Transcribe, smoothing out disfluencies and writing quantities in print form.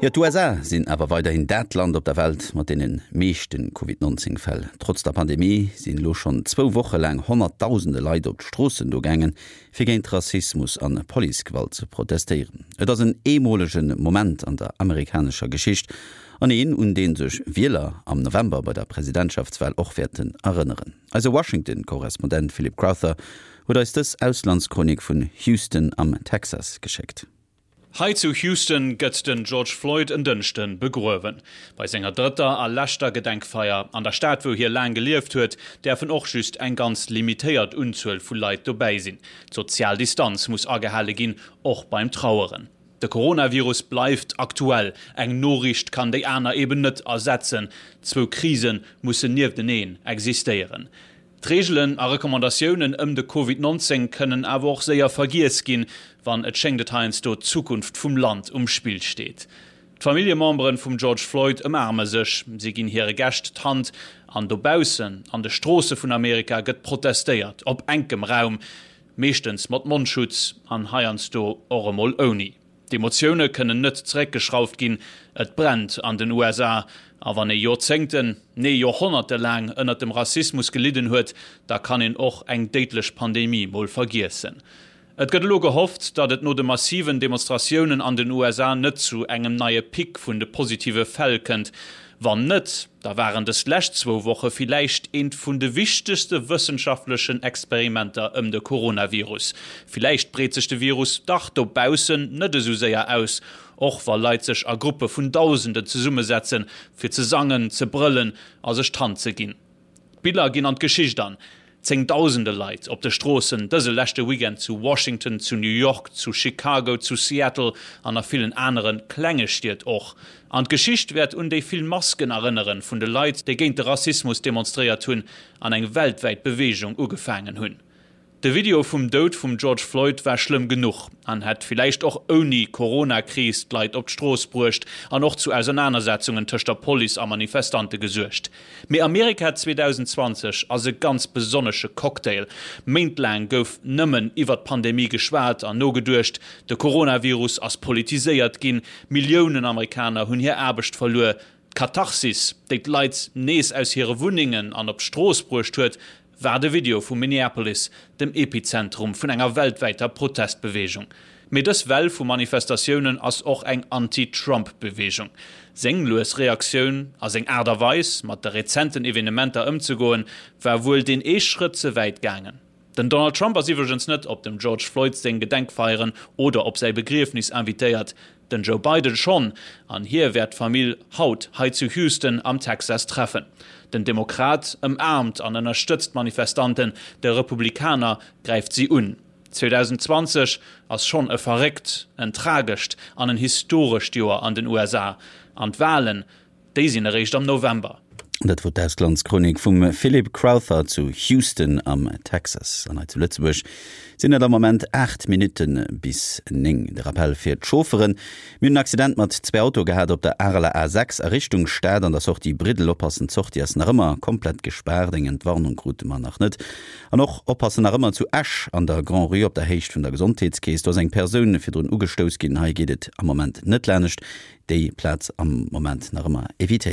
Jo, d'USA sinn awer weiderhin dat Land op der Welt mat deene meeschte Covid 19 Fäll. Trotz der Pandemie sinn elo schonn zwou Woche laang honnertdausende Leit op d'Stroossen do gaangen, fir géint Rassismus an Policegewalt ze protestéieren. Et ass en eemolege Moment an der amerikanescher Geschicht an een, un dee sech Wieler am November bei der Presidentschaftswal och wäerten erënneren. Eise Washington-Korrespondent Philip Crowther huet eis dës Auslandschronik vun Houston am Texas geschéckt. Hei zu Houston gëtt den George Floyd en Dënschde begruewen. Bei senger drëtter a leschter Gedenkfeier an der Stad, wou hie laang gelieft huet, däerfen och just eng ganz limitéiert Unzuel vu Leit dobäi sinn. D'sozial Distanz muss agehale ginn, och beim Traueren. De Coronavirus bleift aktuell, eng Noriicht kann déi aner eben net ersetzen. Zwou Krise mussen niefteneen existéieren. D'Reegelen a Recommandatiounen ëm de Covid 19 kënnen awer och séier vergiess ginn, wann, et schéngt et heiansdo, d'Zukunft vum Land um Spill steet. D'Familljememberen vum George Floyd ëmaarme sech, si ginn hire Gäscht d'Hand an dobaussen an de Stroosse vun Amerika gëtt protestéiert, op enkem Raum, meeschtens mat Mondschutz an heiansdo och emol ouni. D'Emotioune kënnen net zeréckgeschrauft ginn, et brennt an den USA. A wann ee Joerzéngten, nee Joerhonnerte laang ënnert dem Rassismus gelidden huet, da kann een och eng déidlech Pandemie mol vergiessen. Et gëtt elo gehofft, datt et no de massiven Demonstratiounen an den USA net zu engem neie Pic vun de positive Fäll kënnt. Wann net, da waren dës lescht zwou Woche villäicht eent vun de wichtegste wëssenschaftlechen Experimenter ëm de Coronavirus. Villäicht breet sech de Virus dach dobaussen net esou séier aus, och wa Leit sech a Gruppe vun Dausenden zesummesetzen, fir ze sangen, ze brëllen a sech d'Hand ze ginn. D'Biller ginn an d'Geschicht an. Zéngdausende Leit op de Stroossen dëse leschte Weekend zu Washington, zu New York, zu Chicago, zu Seattle an a villen anere klenge Stied och. An d'Geschicht wäert un déi vill Masken erënneren vun de Leit, déi géint de Rassismus demonstréiert hunn an eng weltwäit Beweegung ugefaangen hunn. De Video vum Doud vum George Floyd war schlëmm genuch an hätt villäicht och ouni Corona-Kris d'Leit op d'Strooss bruecht an och zu Ausernanersetzungen tëscht der Police a Manifestante gesuergt. Mee Amerika 2020 ass e ganz besonnesche Cocktail. Méintlaang gouf nëmmen iwwer d'Pandemie geschwat an nogeduecht, de Coronavirus ass politiséiert ginn, Milliounen Amerikaner hunn hir Aarbecht verluer. D'Katharsis, déi d'Leit nees aus hire Wunnengen an op d'Strooss bruecht huet, war de Video vu Minneapolis, dem Epizentrum vun enger weltwäiter Protestbeweegung. Mee dës Well vu Manifestatiounen ass och eng Anti-Trump-Beweegung. Seng lues Reaktioun a seng Aart a Weis, mat de rezenten Evenementer ëmzegoen, war wuel deen ee Schrëtt ze wäit gaangen. Den Donald Trump ass iwwregens net op dem George Floyd seng Gedenkfeieren oder op säi Begriefnis invitéiert. Den Joe Biden schonn, an hie wäert d'Famill haut hei zu Houston am Texas treffen. Den Demokrat ëmaarmt an ënnerstëtzt d'Manifestanten, de Republikaner gräift si un. 2020 ass schonn e verréckt, en tragescht an en historescht Joer an den USA. An d'Walen, Déi sinn eréischt am November. Dat wor d'Auslandschronik vum Philip Crowther zu Houston am Texas. An hei zu Lëtzebuerg sinn et am Moment 8 Minutte bis 9. De Rappell fir d'Chaufferen, Mir hunn en Accident mat zwee Autoe gehat op der Areler A6 a Richtung Stad an der Sortie Briddel. Oppassen, d'Sortie ass nach ëmmer komplett gespaart. Eng Entwarnung krute mer nach net. An och oppassen nach ëmmer zu Esch an der Grand-Rue op der Héicht vun der Gesondheetskeess. Do ass eng Persoun virdrun ugestouss ginn. Hei geet et am Moment net lanescht. Déi Plaz am Moment nach ëmmer evitéieren.